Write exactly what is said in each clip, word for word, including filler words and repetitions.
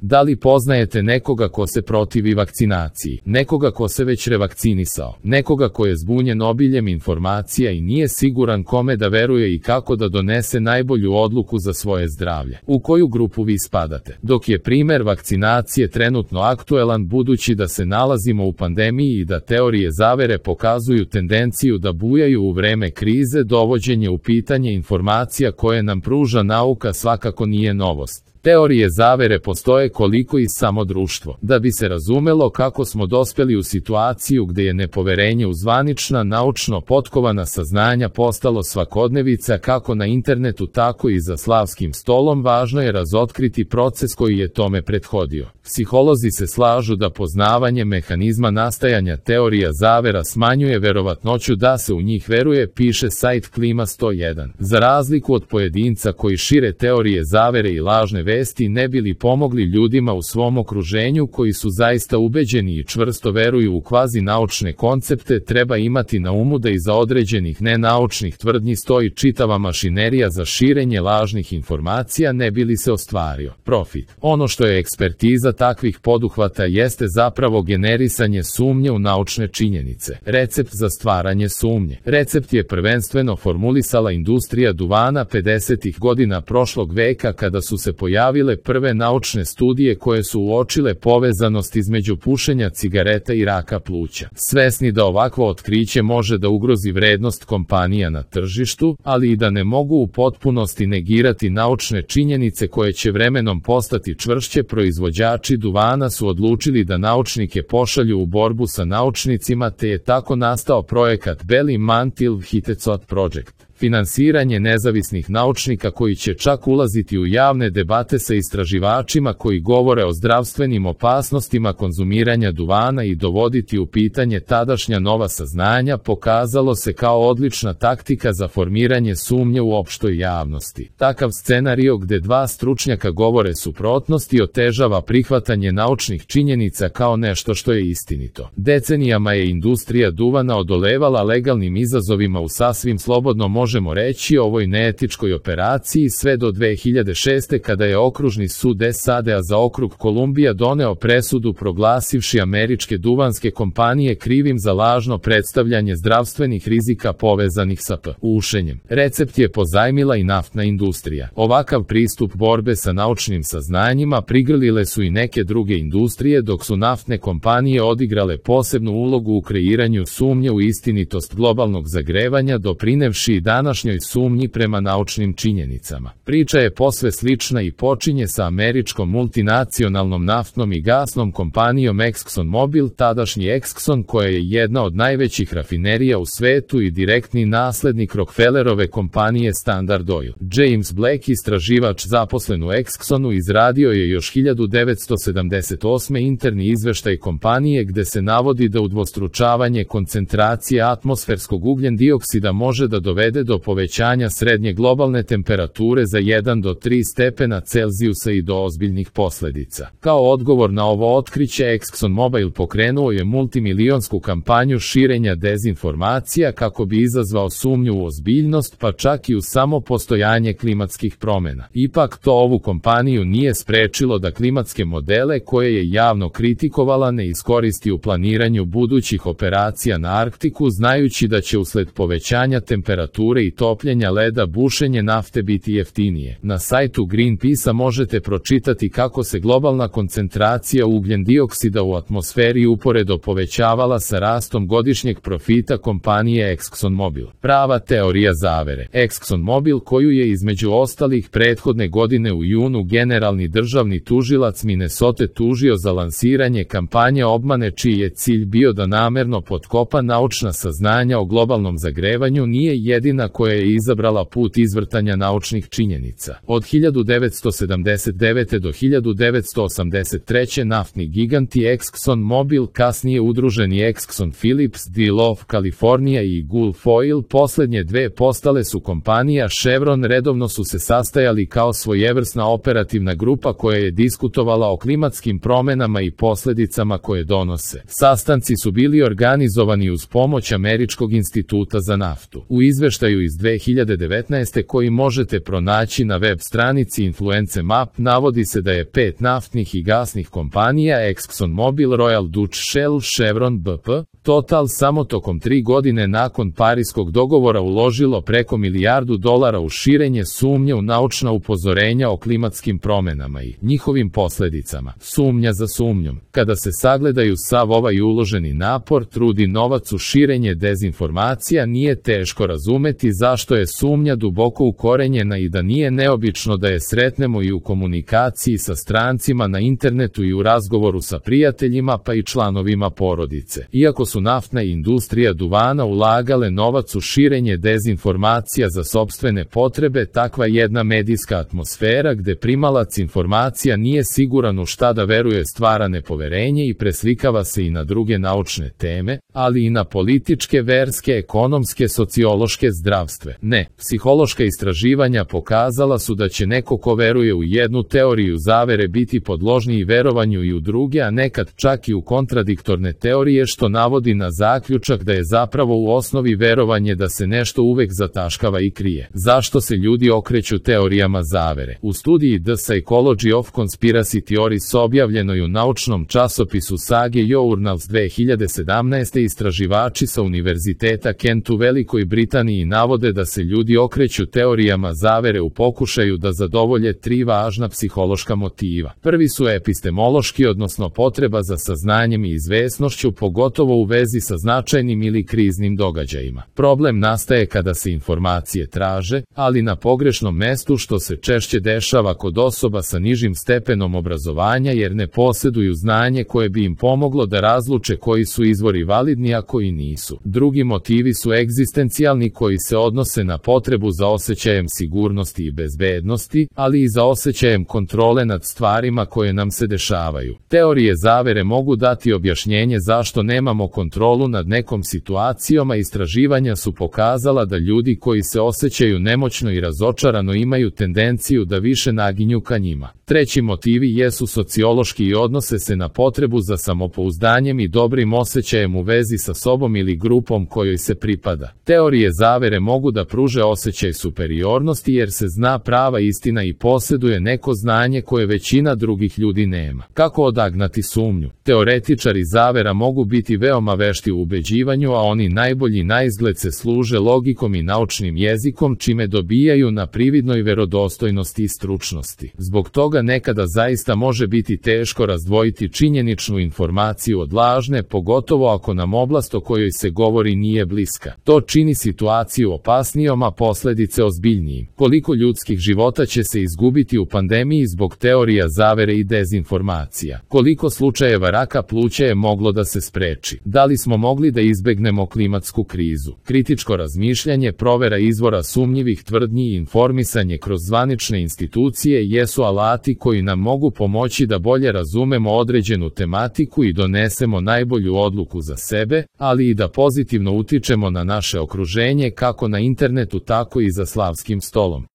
Da li poznajete nekoga ko se protivi vakcinaciji, nekoga ko se već revakcinisao, nekoga ko je zbunjen obiljem informacija i nije siguran kome da veruje i kako da donese najbolju odluku za svoje zdravlje? U koju grupu vi spadate? Dok je primer vakcinacije trenutno aktuelan budući da se nalazimo u pandemiji i da teorije zavere pokazuju tendenciju da bujaju u vreme krize, dovođenje u pitanje informacija koje nam pruža nauka svakako nije novost. Teorije zavere postoje koliko i samo društvo. Da bi se razumelo kako smo dospeli u situaciju gde je nepoverenje u zvanična, naučno potkovana saznanja postalo svakodnevica kako na internetu tako i za slavskim stolom, važno je razotkriti proces koji je tome prethodio. Psiholozi se slažu da poznavanje mehanizma nastajanja teorija zavera smanjuje verovatnoću da se u njih veruje, piše sajt Klima sto jedan. Za razliku od pojedinca koji šire teorije zavere i lažne vesti ne bi li pomogli ljudima u svom okruženju koji su zaista ubeđeni i čvrsto veruju u kvazi naučne koncepte, treba imati na umu da iza određenih nenaučnih tvrdnji stoji čitava mašinerija za širenje lažnih informacija ne bi li se ostvario profit. Ono što je ekspertiza takvih poduhvata jeste zapravo generisanje sumnje u naučne činjenice. Recept za stvaranje sumnje. Recept je prvenstveno formulisala industrija duvana pedesetih godina prošlog veka kada su se pojavile prve naučne studije koje su uočile povezanost između pušenja cigareta i raka pluća. Svesni da ovakvo otkriće može da ugrozi vrednost kompanija na tržištu, ali i da ne mogu u potpunosti negirati naučne činjenice koje će vremenom postati čvršće, proizvođači duvana su odlučili da naučnike pošalju u borbu sa naučnicima, te je tako nastao projekat Belly Mantle Hitechcock Project. Finansiranje nezavisnih naučnika koji će čak ulaziti u javne debate sa istraživačima koji govore o zdravstvenim opasnostima konzumiranja duvana i dovoditi u pitanje tadašnja nova saznanja pokazalo se kao odlična taktika za formiranje sumnje u opštoj javnosti. Takav scenario gde dva stručnjaka govore suprotnosti otežava prihvatanje naučnih činjenica kao nešto što je istinito. Decenijama je industrija duvana odolevala legalnim izazovima u sasvim slobodno možemo reći ovoj neetičkoj operaciji sve do dve hiljade šeste kada je okružni sud S A D-a za okrug Kolumbija doneo presudu proglasivši američke duvanske kompanije krivim za lažno predstavljanje zdravstvenih rizika povezanih sa pušenjem. Recept je pozajmila i naftna industrija. Ovakav pristup borbe sa naučnim saznanjima prigrlile su i neke druge industrije, dok su naftne kompanije odigrale posebnu ulogu u kreiranju sumnje u istinitost globalnog zagrevanja, doprinevši i današnjoj sumnji prema naučnim činjenicama. Priča je posve slična i počinje sa američkom multinacionalnom naftnom i gasnom kompanijom ExxonMobil, tadašnji Exxon, koja je jedna od najvećih rafinerija u svetu i direktni naslednik Rockefellerove kompanije Standard Oil. James Black, istraživač zaposlen u Exxonu, izradio je još hiljadu devetsto sedamdeset osme interni izveštaj kompanije gde se navodi da udvostručavanje koncentracije atmosferskog ugljen dioksida može da dovede do povećanja srednje globalne temperature za jedan do tri stepena Celzijusa i do ozbiljnih posledica. Kao odgovor na ovo otkriće, ExxonMobil pokrenuo je multimilionsku kampanju širenja dezinformacija kako bi izazvao sumnju u ozbiljnost, pa čak i u samo postojanje klimatskih promena. Ipak to ovu kompaniju nije sprečilo da klimatske modele koje je javno kritikovala ne iskoristi u planiranju budućih operacija na Arktiku, znajući da će usled povećanja temperature i topljenja leda bušenje nafte biti jeftinije. Na sajtu Greenpeace-a možete pročitati kako se globalna koncentracija ugljen dioksida u atmosferi uporedo povećavala sa rastom godišnjeg profita kompanije ExxonMobil. Prava teorija zavere. ExxonMobil, koju je između ostalih prethodne godine u junu generalni državni tužilac Minnesota tužio za lansiranje kampanje obmane čiji je cilj bio da namerno potkopa naučna saznanja o globalnom zagrevanju, nije jedina koja je izabrala put izvrtanja naučnih činjenica. Od hiljadu devetsto sedamdeset devete do hiljadu devetsto osamdeset treće naftni giganti ExxonMobil, kasnije udruženi Exxon Phillips, DeLoaf California i Gulf Oil, poslednje dve postale su kompanija Chevron, redovno su se sastajali kao svojevrsna operativna grupa koja je diskutovala o klimatskim promenama i posledicama koje donose. Sastanci su bili organizovani uz pomoć Američkog instituta za naftu. U izveštaju izveštaju iz dve hiljade devetnaeste koji možete pronaći na web stranici Influence Map navodi se da je pet naftnih i gasnih kompanija ExxonMobil, Royal Dutch Shell, Chevron, B P, Total samo tokom tri godine nakon Pariskog dogovora uložilo preko milijardu dolara u širenje sumnje u naučna upozorenja o klimatskim promenama i njihovim posledicama. Sumnja za sumnjom. Kada se sagledaju sav ovaj uloženi napor, trud i novac u širenje dezinformacija, nije teško razumeti zašto je sumnja duboko ukorenjena i da nije neobično da je sretnemo i u komunikaciji sa strancima na internetu i u razgovoru sa prijateljima pa i članovima porodice. Iako su naftna i industrija duvana ulagale novac u širenje dezinformacija za sopstvene potrebe, takva jedna medijska atmosfera gde primalac informacija nije siguran u šta da veruje stvara nepoverenje i preslikava se i na druge naučne teme, ali i na političke, verske, ekonomske, sociološke, zdravstvene. Ne, psihološka istraživanja pokazala su da će neko ko veruje u jednu teoriju zavere biti podložniji verovanju i u druge, a nekad čak i u kontradiktorne teorije, što navodi na zaključak da je zapravo u osnovi verovanje da se nešto uvek zataškava i krije. Zašto se ljudi okreću teorijama zavere? U studiji The Psychology of Conspiracy Theories objavljenoj u naučnom časopisu Sage Journals dve hiljade sedamnaeste istraživači sa Univerziteta Kent u Velikoj Britaniji navode da se ljudi okreću teorijama zavere u pokušaju da zadovolje tri važna psihološka motiva. Prvi su epistemološki, odnosno potreba za saznanjem i izvesnošću, pogotovo u vezi sa značajnim ili kriznim događajima. Problem nastaje kada se informacije traže, ali na pogrešnom mestu, što se češće dešava kod osoba sa nižim stepenom obrazovanja jer ne posjeduju znanje koje bi im pomoglo da razluče koji su izvori validni, a koji nisu. Drugi motivi su egzistencijalni, koji se odnose na potrebu za osjećajem sigurnosti i bezbednosti, ali i za osjećajem kontrole nad stvarima koje nam se dešavaju. Teorije zavere mogu dati objašnjenje zašto nemamo kontrolu nad nekom situacijom, a istraživanja su pokazala da ljudi koji se osjećaju nemoćno i razočarano imaju tendenciju da više naginju ka njima. Treći motivi jesu sociološki i odnose se na potrebu za samopouzdanjem i dobrim osjećajem u vezi sa sobom ili grupom kojoj se pripada. Teorije zavere mogu da pruže osjećaj superiornosti jer se zna prava istina i posjeduje neko znanje koje većina drugih ljudi nema. Kako odagnati sumnju? Teoretičari zavera mogu biti veoma vešti u ubeđivanju, a oni najbolji naizgled se služe logikom i naučnim jezikom, čime dobijaju na prividnoj verodostojnosti i stručnosti. Zbog toga nekada zaista može biti teško razdvojiti činjeničnu informaciju od lažne, pogotovo ako nam oblast o kojoj se govori nije bliska. To čini situaciju opasnijom, a posledice ozbiljnijim. Koliko ljudskih života će se izgubiti u pandemiji zbog teorija zavere i dezinformacija? Koliko slučajeva raka pluća je moglo da se spreči? Da li smo mogli da izbegnemo klimatsku krizu? Kritičko razmišljanje, provera izvora sumnjivih tvrdnji i informisanje kroz zvanične institucije jesu alati koji nam mogu pomoći da bolje razumemo određenu tematiku i donesemo najbolju odluku za sebe, ali i da pozitivno utičemo na naše okruženje kako na internetu tako i za slavskim stolom.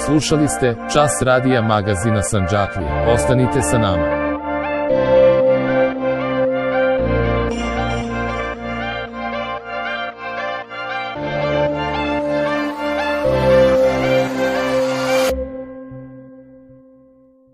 Slušali ste Čas radija magazina Sandžaklije. Ostanite sa nama.